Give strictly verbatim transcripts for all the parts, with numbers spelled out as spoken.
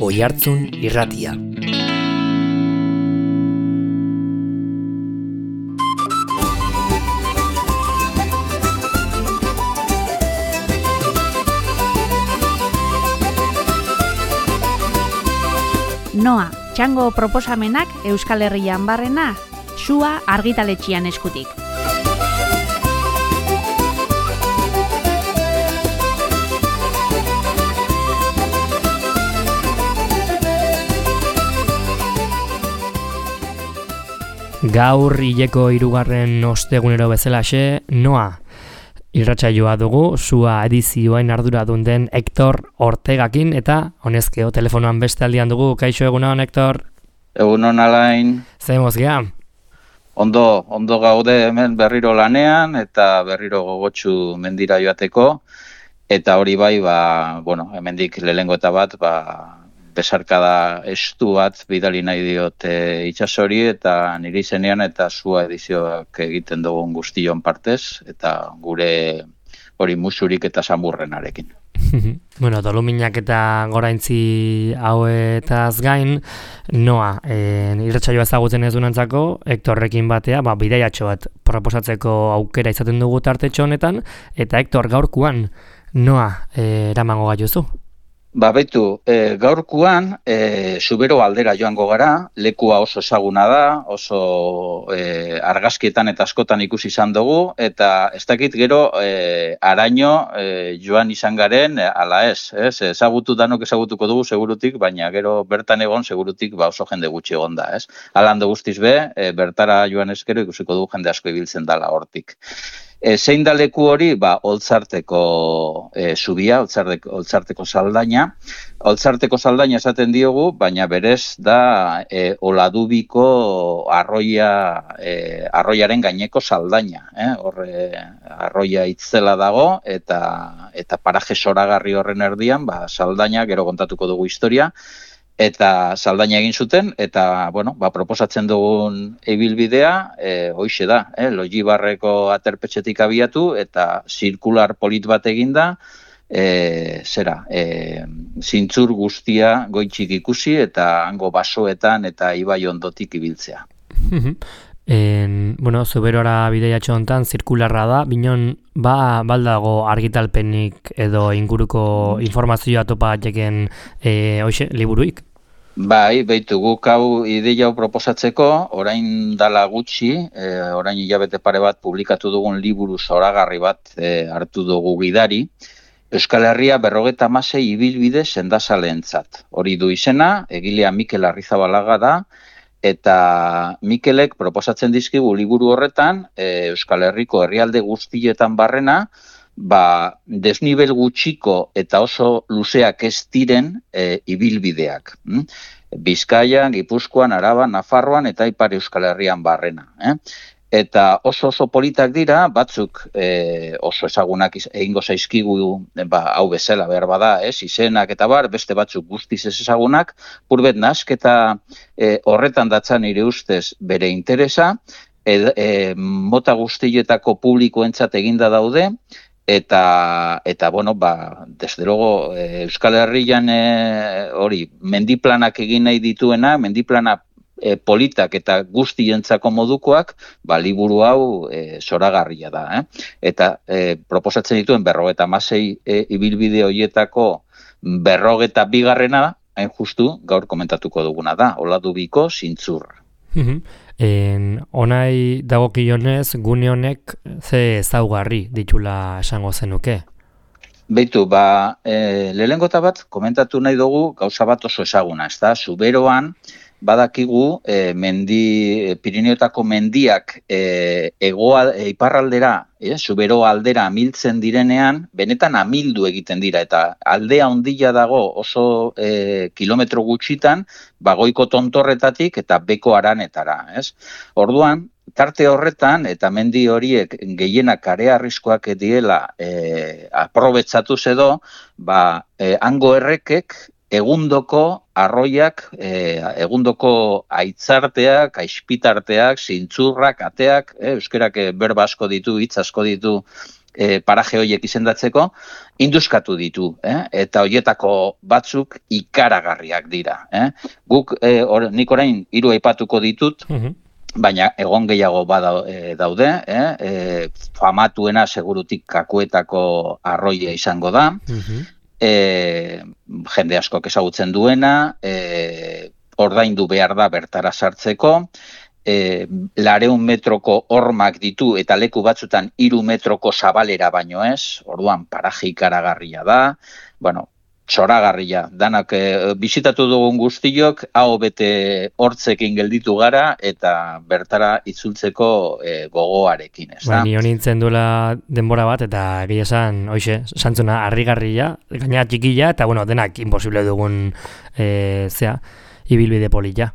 Oihartzun Irratia. Noa, txango proposamenak Euskal Herrian barrena, Sua argitaletxean eskutik. Gaur hileko hirugarren ostegunero bezalaxe, Noa irratsaioa dugu, Sua edizioen arduradun den Hector Ortegakin, eta honezkeo telefonoan beste aldian dugu. Kaixo, egunon, Hector? Egunon, Alain. Zer mozgea? Ondo, ondo gaude hemen berriro lanean, eta berriro gogotsu mendira joateko, eta hori bai, ba, bueno, hemendik lehengo eta bat, ba, besarkada estu bat bidali nahi diote itsasori eta niri zenean eta Sua edizioak egiten dugun guztion partez eta gure hori musurik eta samurrenarekin. Bueno, doluminak eta goraintzi hauetaz gain, Noa, eh, irratsaioa ezagutzen ez dunantzako, Hectorrekin batea, ba, bidaiatxo bat proposatzeko aukera izaten dugu tartetxo honetan, eta Hector, gaurkoan, Noa, eh, eramango gaituzu? Ba, betu, e, gaurkoan e, Zubero aldera joango gara, lekua oso ezaguna da, oso e, argazkietan eta askotan ikusi izan dugu, eta ez dakit gero e, araño e, joan izan garen, e, ala ez, ez, ezagutu danok ezagutuko dugu segurutik, baina gero bertan egon segurutik ba, oso jende gutxi egon da, ez. Alando guztiz be, e, bertara joan eskero ikusiko dugu jende asko ibiltzen dala hortik. E, zein da leku hori, ba, Oltzarteko e, zubia, Oltzarteko, Oltzarteko saldaina. Oltzarteko saldaina esaten diogu, baina berez da e, Oladubiko arroia, e, arroiaren gaineko saldaina. Eh? Horre arroia itzela dago, eta, eta paraje zoragarri horren erdian, ba, saldaina, gero kontatuko dugu historia, eta saldaina egin zuten, eta, bueno, ba, proposatzen dugun ibilbidea, e, hoixe da, eh, Logibarreko aterpetxetik abiatu, eta zirkular polit bat eginda, e, zera, e, zintzur guztia goitxik ikusi, eta hango basoetan eta ibai ondotik ibiltzea. En, bueno, Zuberora bideiatxo hontan zirkularra da, binon, ba, baldago argitalpenik edo inguruko informazioa topa jeken e, hoxe, liburuik? Bai, beitu guk hau ideia hau proposatzeko, orain dala gutxi, e, orain hilabete pare bat publikatu dugun liburu zoragarri bat e, hartu dugu gidari, Euskal Herria berrogeta hamasei ibilbide sendazaleentzat. Hori du izena, egilea Mikel Arrizabalaga da, eta Mikelek proposatzen dizkigu liburu horretan, e, Euskal Herriko herrialde guztietan barrena, ba, desnibel gutxiko eta oso luzeak ez diren e, ibilbideak. Hm? Bizkaian, Gipuzkoan, Araban, Nafarroan eta Ipar Euskal Herrian barrena. Eh? Eta oso oso politak dira, batzuk e, oso ezagunak egingo zaizkigu ba, hau bezala behar bada, ez, izenak eta bar, beste batzuk guztiz ez ezagunak, purbet nasketa e, horretan datzan nire ustez bere interesa, e, e, mota guztietako publikoentzat eginda daude, eta, eta bueno, ba, desde luego, e, Euskal Herrian e, hori, mendiplanak egin nahi dituena, mendiplana E, politak eta guztientzako modukoak, ba, liburu hau e, zoragarria da. Eh? Eta e, proposatzen dituen berrogeta hamasei e, ibilbide horietako berrogeta bigarrena, hain justu, gaur komentatuko duguna da, Oladubiko zintzurra. En, onai dagokionez, gune honek ze ezaugarri ditula esango zenuke? Beitu, ba, e, lehenengota bat komentatu nahi dugu gauza bat oso ezaguna, ez da, Zuberoan, badakigu e, mendi, Pirineotako mendiak e, egoa, e, iparraldera, e, Zubero aldera amiltzen direnean, benetan amildu egiten dira, eta aldea ondila dago oso e, kilometro gutxitan, bagoiko tontorretatik eta beko aranetara. Ez? Orduan, tarte horretan, eta mendi horiek gehienak karea arriskoak diela e, aprobetsatu edo, ba, e, hango errekek, egundoko arroiak, e, egundoko aitzarteak, aispitarteak, zintzurrak, ateak, e, euskerak berba asko ditu, hitz asko ditu e, paraje horiek izendatzeko, induskatu ditu, eh? Eta horietako batzuk ikaragarriak dira. Eh? Guk, e, or, nik orain hiru aipatuko ditut, uh-huh. baina egon gehiago bada, e, daude, eh? e, famatuena segurutik Kakuetako arroia izango da, uh-huh. e, jende askok ezagutzen duena, e, ordaindu behar da bertara sartzeko, E, lareun metroko hormak ditu eta leku batzutan hiru metroko zabalera baino ez, orduan paraje ikaragarria da, bueno, txoragarria, danak e, bisitatu dugun guztiok, hau bete hortzekin gelditu gara eta bertara itzultzeko e, gogoarekin, ez da? Ba, ni honintzen duela denbora bat eta egia esan, hoxe, santzuna harrigarria, gaina txikila eta bueno, denak imposible dugun e, zea, ibilbide polilla.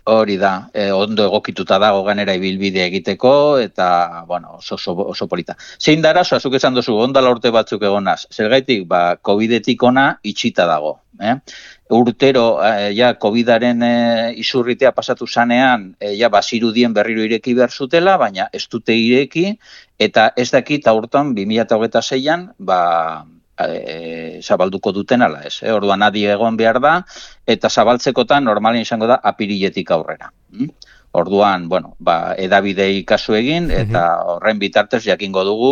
Hori da, eh, ondo egokituta dago ganera ibilbide egiteko, eta, bueno, oso, oso, oso polita. Zein da arazoa, zuk esan duzu, ondala urte batzuk egonaz. Zergaitik, ba, covidetik ona itxita dago. Eh? Urtero, eh, ja, covidaren eh, isurritea pasatu zanean, eh, ja, bazirudien berriro ireki behar zutela, baina ez dute ireki, eta ez dakit aurton, bi mila hogeita seian, ba, E, zabalduko duten ala ez, eh? Orduan adi egon behar da, eta zabaltzekotan normalen izango da apiriletik aurrera. Mm? Orduan, bueno, ba, edabidei kasu egin, eta horren bitartez jakingo dugu,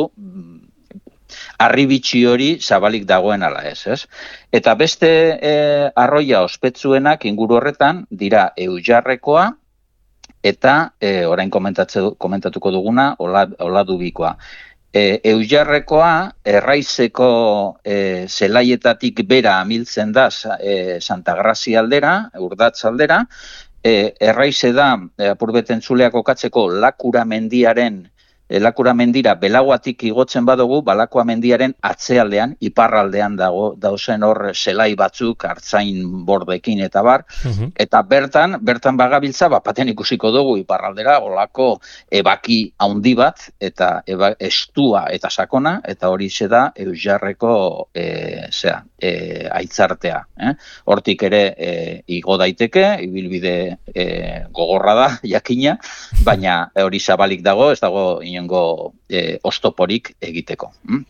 harribitxi hori zabalik dagoen ala ez, ez? Eta beste e, arroia ospetsuenak inguru horretan, dira Eujarrekoa, eta e, orain komentatuko duguna, Oladubikoa. E, Eujarrekoa, Erraizeko e, zelaietatik bera amiltzen da e, Santa Grazia aldera, Urdatz aldera, e, Erraize da, e, apurbeten zuleak okatzeko Lakura mendiaren, e, Lakura mendira belaguatik igotzen badugu, Balakua mendiaren atzealdean, iparraldean dago, dauzen hor zelai batzuk, hartzain bordekin eta bar, uh-huh. eta bertan, bertan bagabiltza, bapaten ikusiko dugu iparraldera, olako ebaki handi bat, eta eba, estua eta sakona, eta hori ze da Eujarreko e, zera, e, aitzartea. Eh? Hortik ere e, igo daiteke, ibilbide e, gogorra da, jakina, baina hori zabalik dago, ez dago inongo e, ostoporik egiteko. Mm?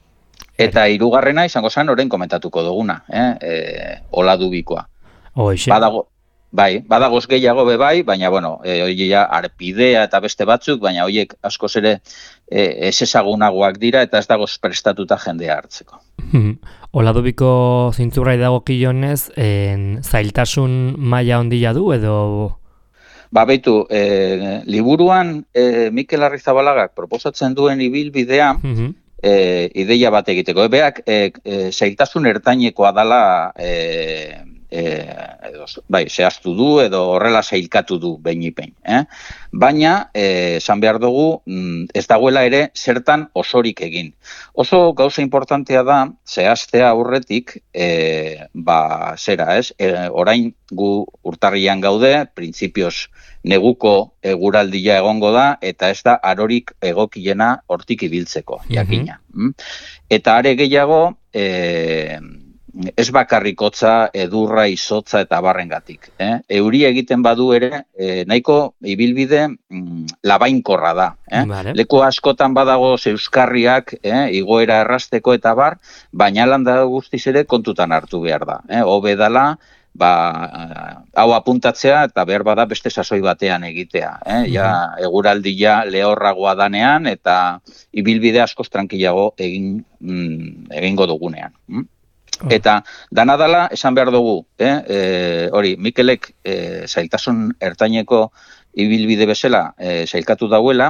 Eta hirugarrena izango zen orain komentatuko duguna, eh? E, Oladubikoa. Badago, bai, badagoz gehiago be bai, baina bueno, e, hori ja Arpidea eta beste batzuk, baina horiek askoz ere e, ez ezagunagoak dira eta ez dagoz prestatuta jendea hartzeko. Oladubiko zintzurrai dago kilonez, zailtasun maila ondila du edo... Ba, beitu, e, liburuan e, Mikel Arrizabalaga proposatzen duen ibilbidea uh-huh. e, ideia bat egiteko. Ebeak, e, e, zailtasun ertainekoa dala, e, e, edo, bai, zehaztu du edo horrela zailkatu du behin-ipein. Eh? Baina, esan behar dugu, ez dagoela ere zertan osorik egin. Oso gauza importantea da, zehaztea aurretik, e, ba, zera, ez? E, orain gu urtarrian gaude, printzipioz neguko eguraldia egongo da, eta ez da arorik egokiena hortik ibiltzeko, jakina. Mm-hmm. Eta are gehiago, e, ez bakarrikotza, edurra, izotza eta barrengatik. Eh? Euri egiten badu ere, e, nahiko ibilbide mm, labainkorra da. Eh? Vale. Leku askotan badago zeuskarriak, eh, igoera errasteko eta bar, baina landa guztiz ere kontutan hartu behar da. Eh? Hobe dala, ba, hau apuntatzea eta behar bada beste sasoi batean egitea. Eh? Ja, eguraldia lehorragoa danean eta ibilbide askoz tranquilago egin, mm, egingo dugunean. Mm? Eta dana dala, esan behar dugu, eh? E, hori, Mikelek e, zailtasun ertaineko ibilbide bezala e, zailkatu dauela,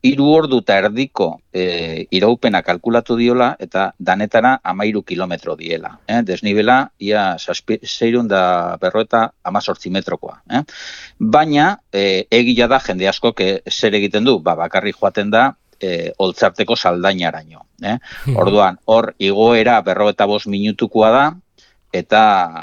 hiru ordu eta erdiko e, iraupena kalkulatu diola eta danetara amairu kilometro diela. Eh? Desnibela, ia zeirun da berroeta amazortzi metrokoa. Eh? Baina, e, egia da jende asko zer egiten du, ba, bakarri joaten da, E, oltzarteko saldainaraino. Eh? Orduan, hor igoera berrogeita bost minutukoa da, eta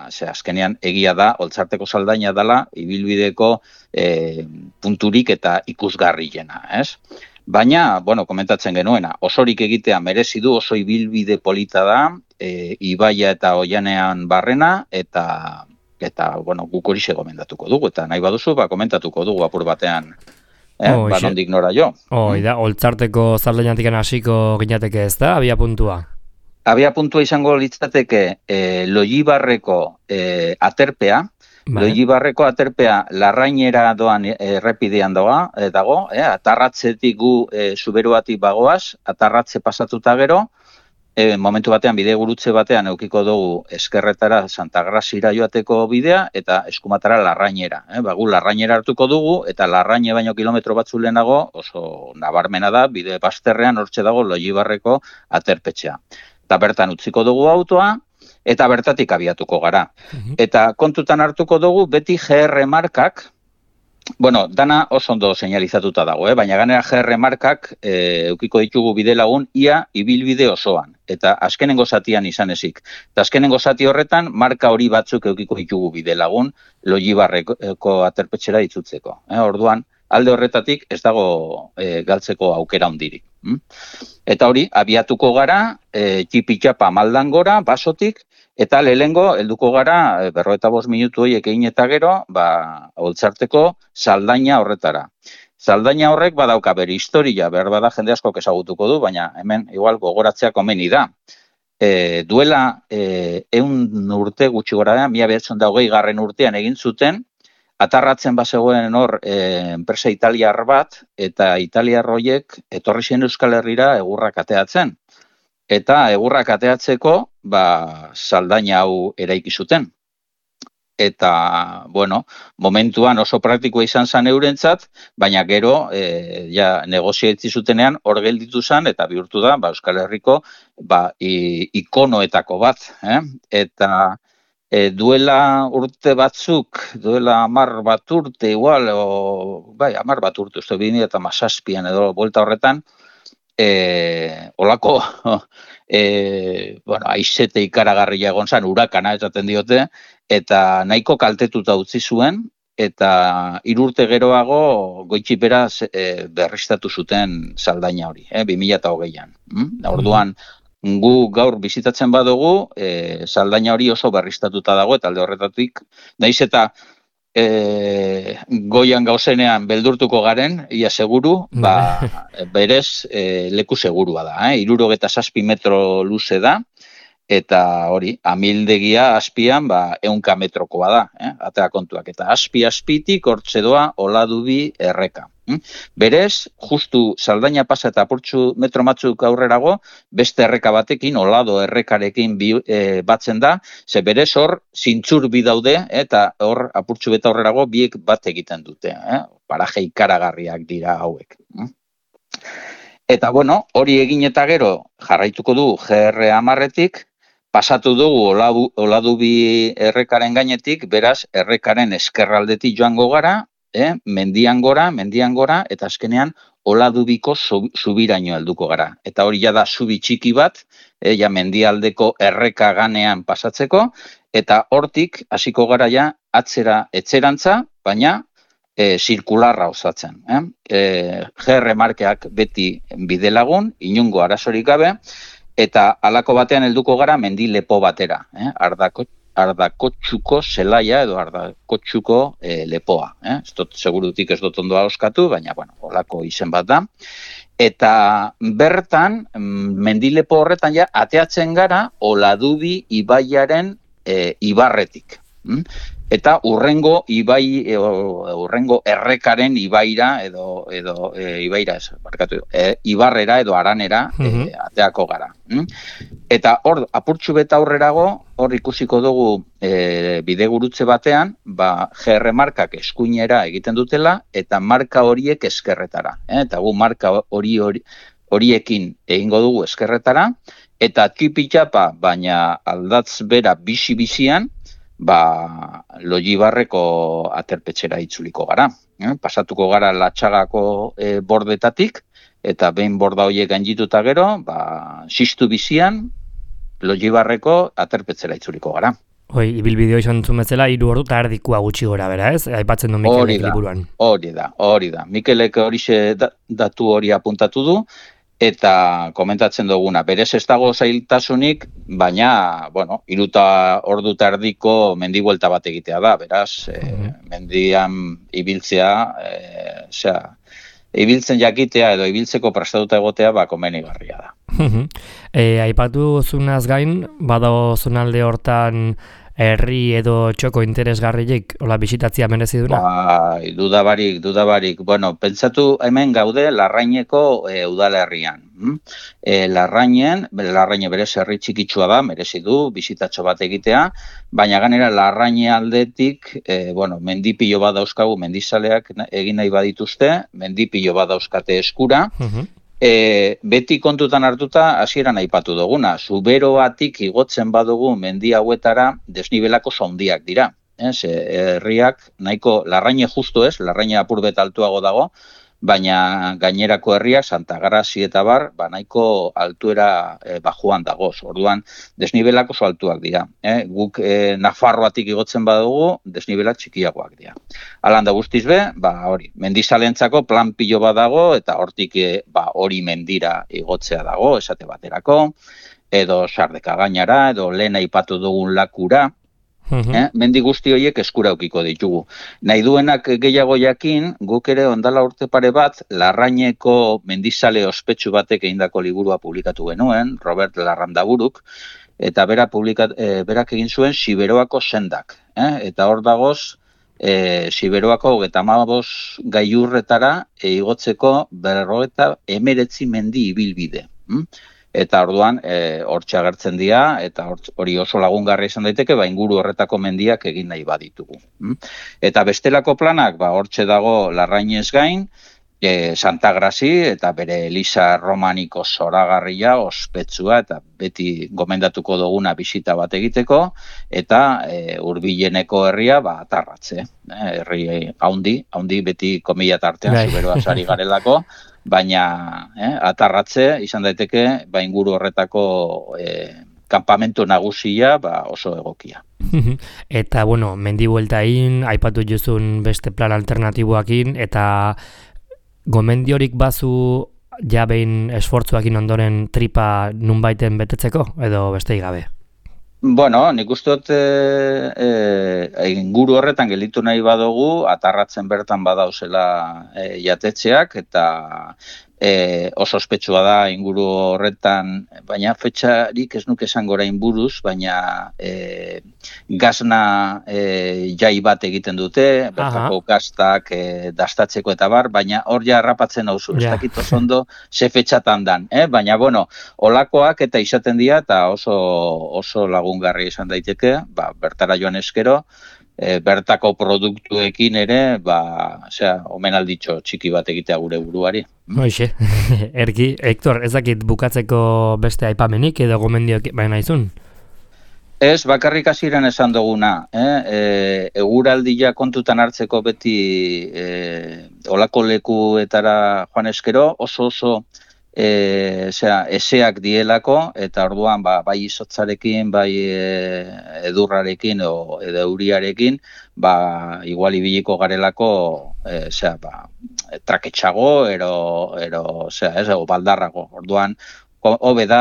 ze, azkenean egia da, oltzarteko saldaina dela, ibilbideko e, punturik eta ikusgarriena. Ez? Baina, bueno, komentatzen genuena, osorik egitea merezi du, oso ibilbide polita da, e, Ibaia eta Oianean barrena, eta, eta bueno, guk hori gomendatuko dugu, eta nahi baduzu, ba, komentatuko dugu apur batean eh? Ba, nondik nora jo. Hoi da, Oltzarteko zaldainatik hasiko ginateke ez da, abia puntua? Abia puntua izango litzateke eh, Loibarreko eh, aterpea, Vale. Loibarreko aterpea Larrainera doan errepidean doa, eh, dago, eh, atarratzetik gu eh, Zuberoatik bagoaz, atarratze pasatuta gero, eh, momentu batean bide gurutze batean eukiko dugu eskerretara Santa Grasira joateko bidea eta eskumatara Larrainera. Eh, ba, gu Larrainera hartuko dugu eta Larraine baino kilometro batzu lehenago oso nabarmena da, bide bazterrean hortxe dago Loibarreko aterpetxea. Eta bertan utziko dugu autoa, eta bertatik abiatuko gara. Uh-huh. Eta kontutan hartuko dugu beti G R markak, bueno, dana oso ondo señalizatuta dago, eh? Baina ganera G R markak eh, eukiko ditugu bide lagun ia ibilbide osoan, eta azkenengo zatian izan ezik. Eta azkenengo zati horretan marka hori batzuk eukiko ditugu bide lagun Loibarreko aterpetxera itzutzeko. Eh? Orduan, alde horretatik ez dago e, galtzeko aukera hondirik. Mm? Eta hori, abiatuko gara, e, txipi-txapa maldan gora, basotik, eta lehengo helduko gara, e, berrogeita bost minutu horiek egin eta gero, ba, Oltzarteko saldaina horretara. Saldaina horrek badauka bere historia, behar bada jende asko ezagutuko du, baina hemen igual gogoratzea komeni da. E, duela e, eun urte gutxi gora da, mila bederatziehun eta hogei garren urtean egin zuten, atarratzen bazegoen hor e, enpresa italiar bat, eta italiar horiek etorri zen Euskal Herrira egurrak ateatzen. Eta egurrak ateatzeko, ba, saldaina hau eraiki zuten. Eta, bueno, momentuan oso praktikoa izan zen eurentzat, baina gero, e, ja, negoziatzi zutenean hor gelditu zen, eta bihurtu da, ba, Euskal Herriko, ba, i, ikonoetako bat, eh? Eta E, duela urte batzuk, duela hamar bat urte igual, o, bai, hamar bat urte, uste bini eta mazazpian edo buelta horretan, e, olako, e, bueno, aizete ikaragarria egon zan, urakana esaten diote, eta nahiko kaltetuta utzi zuen, eta hiru urte geroago goitxipera e, berriztatu zuten saldaina hori, eh, bi mila hogeian. Mm? Orduan, gu gaur bizitatzen badugu, e, saldaina hori oso berriztatuta dago, eta alde horretatik, naiz eta e, goian gauzenean beldurtuko garen, ia seguru, ba, berez e, leku segurua da. Eh? Hirurogeta zazpi metro luze da, eta hori, amildegia azpian, ba, ehunka metrokoa da, eh? Atea kontuak, eta azpi-azpitik hortze doa Oladubi erreka. Berez, justu saldaina pasa eta apurtxu metro batzuk aurrerago, beste erreka batekin, Olado errekarekin bi, e, batzen da, ze berez hor zintzur bi daude, eta hor apurtxu beta aurrerago biek bat egiten dute, eh? Paraje ikaragarriak dira hauek. Eta bueno, hori egin eta gero jarraituko du G R hamarretik, pasatu dugu Oladu, Oladubi errekaren gainetik, beraz errekaren eskerraldetik joango gara, Eh, mendian gora, mendian gora, eta azkenean Oladubiko zubiraino helduko gara. Eta hori ja da zubi txiki bat, eh, ja mendialdeko erreka ganean pasatzeko, eta hortik hasiko gara ja atzera etzerantza, baina e, zirkularra osatzen. Eh? E, G R markeak beti bidelagun, inungo arazorik gabe, eta halako batean helduko gara mendi lepo batera, eh? Ardako Ardakotxuko zelaia edo Ardakotxuko e, lepoa. Eh? Ez dut, segurutik ez dut ondoa oskatu, baina, bueno, holako izen bat da. Eta bertan, mendilepo horretan ja, ateatzen gara Oladubi ibaiaren e, ibarretik. Mm? Eta urrengo ibai, e, urrengo errekaren ibaira, edo, edo e, ibaira, ez, barkatu, e, ibarrera edo aranera e, ateako gara. Mm? Eta hor, apurtxu beta aurrerago, hor ikusiko dugu e, bidegurutze batean, ba, G R markak eskuinera egiten dutela, eta marka horiek eskerretara. Eh? Eta gu marka hori, hori horiekin egingo dugu eskerretara, eta txipi-txapa, baina aldatz bera bizi-bizian, ba, Loibarreko aterpetxera itzuliko gara. Eh? Pasatuko gara Latxagako e, bordetatik, eta behin borda horiek gaindituta gero, ba, sistu bizian, Loibarreko aterpetzera itzuliko gara. Hoi, ibilbideo izan zumezela, hiru ordu eta erdikua gutxi gora, bera ez? Aipatzen du Mikelek liburuan. Hori da, hori da. Mikelek horixe datu hori apuntatu du, eta komentatzen duguna, berez ez dago zailtasunik, baina, bueno, iruta ordu eta erdiko mendibuelta bat egitea da, beraz, mm-hmm. e, mendian ibiltzea, e, osea, ibiltzen jakitea edo ibiltzeko prestatuta egotea ba komenigarria da. e, aipatu zunaz gain, badago zonalde hortan herri edo txoko interesgarriek hola bisitatzia merezi duna? Bai, dudabarik, dudabarik. Bueno, pentsatu hemen gaude Larraineko e, udalerrian. E, Larrainen, Larraine berez herri txikitsua da, merezi du bisitatxo bat egitea, baina ganera Larraine aldetik, e, bueno, mendipilo bat dauzkagu, mendizaleak egin nahi badituzte, mendipilo bat dauzkate eskura, uh-huh. E, beti kontutan hartuta hasieran aipatu duguna, Zuberoatik igotzen badugu mendi hauetara desnibelako sondiak dira. Ez, herriak nahiko Larraine justu ez, Larraine apur bet altuago dago, baina gainerako herriak Santa Grazi eta bar, ba nahiko altuera e, bajuan dagoz. Orduan desnibelak oso altuak dira. Eh? Guk e, Nafarroatik igotzen badugu, desnibelak txikiagoak dira. Alan da guztiz be, ba hori, mendizalentzako plan pilo bat dago eta hortik e, ba hori mendira igotzea dago, esate baterako, edo Sardeka gainara, edo lehen aipatu dugun Lakura. Uh-huh. Eh? Mendi guzti horiek eskura aukiko ditugu. Nahi duenak gehiago jakin, guk ere ondala urte pare bat, Larraineko mendizale ospetsu batek egindako liburua publikatu genuen, Robert Larrandaburuk, eta bera publikat, e, berak egin zuen Siberoako sendak. Eh? Eta hor dagoz, e, Siberoako hogeita hamabost gailurretara e, igotzeko berrogeita hemeretzi mendi ibilbide. Hm? Eta orduan hortxe agertzen dira, eta hori oso lagungarri izan daiteke, ba inguru horretako mendiak egin nahi baditugu. Eta bestelako planak, ba hortxe dago Larrainez gain, e, Santa Grazi eta bere Eliza romaniko zoragarria, ospetsua, eta beti gomendatuko duguna bisita bat egiteko, eta e, hurbileneko herria ba Atarratze. E, herri haundi, haundi beti komila tartean Zuberoa sari garelako, baina eh, Atarratze izan daiteke ba inguru horretako eh, kanpamentu nagusia ba oso egokia. Eta bueno, mendi bueltain aipatu juzun beste plan alternatiboekin eta gomendiorik bazu ja behin esfortzuekin ondoren tripa nunbaiten betetzeko edo besteik gabe. Bueno, nik uste dut e, e, inguru horretan gelditu nahi badugu, Atarratzen bertan badauzela e, jatetxeak, eta e, oso ospetsua da inguru horretan, baina fetxarik ez nuke esan gorain buruz, baina e, gazna e, jai bat egiten dute, bertako gaztak e, dastatzeko eta bar, baina hor ja harrapatzen hauzu, ez dakit oso ondo ze fetxatan dan, eh? Baina bueno, olakoak eta izaten dira eta oso, oso lagungarri izan daiteke, ba, bertara joan eskero, e, bertako produktuekin ere, ba, osea, omenalditxo txiki bat egitea gure buruari. Hoxe, erki, Hector, ez dakit bukatzeko beste aipamenik edo gomendioak baina izun? Ez, bakarrik hasieran esan duguna, eh? e, eguraldia kontutan hartzeko beti e, olako lekuetara joan eskero, oso oso E, osea, eseak dielako, eta orduan ba, bai izotzarekin, bai e, edurrarekin o, edo euriarekin, ba, igual ibiliko garelako e, osea, ba, traketxago, ero, ero, osea, ez, o baldarrago. Orduan, hobe da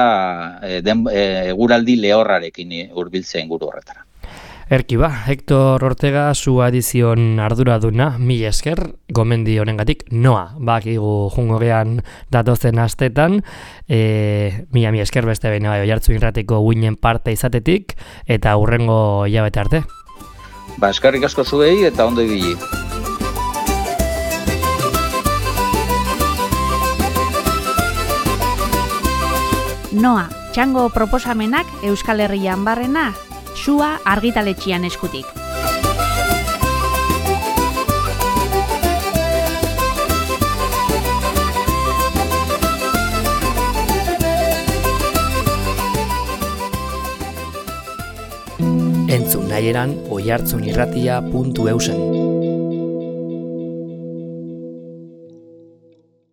e, den, e, eguraldi lehorrarekin hurbiltzea inguru horretara. Erki ba, Hector Ortega zu edizion arduraduna, mila esker, gomendi honengatik noa, bakigu jungo gean datozen astetan, e, mila mila esker beste behin bai Oiartzun Irratiko uinen parte izatetik, eta hurrengo hilabete arte. Ba, eskerrik asko zuei eta ondo ibili. Noa, txango proposamenak Euskal Herrian barrena, Sua argitaletxian eskutik. Entzun nahieran oiartzunirratia puntu eusen.